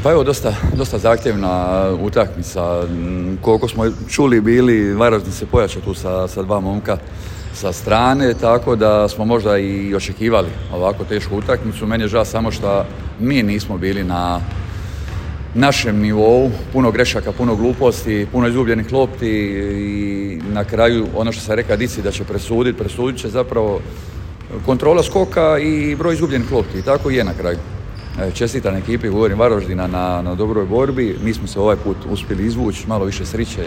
Pa evo, dosta zahtjevna utakmica. Koliko smo čuli bili, Varaždin se pojačao tu sa dva momka sa strane, tako da smo možda i očekivali ovako tešku utakmicu. Meni je žao samo što mi nismo bili na našem nivou, puno grešaka, puno gluposti, puno izgubljenih lopti i na kraju ono što sam rekao Dici da će presudit će zapravo kontrola skoka i broj izgubljenih lopti i tako je na kraju. Čestitam ekipi, govorim Varaždina na dobroj borbi, mi smo se ovaj put uspjeli izvući, malo više sreće.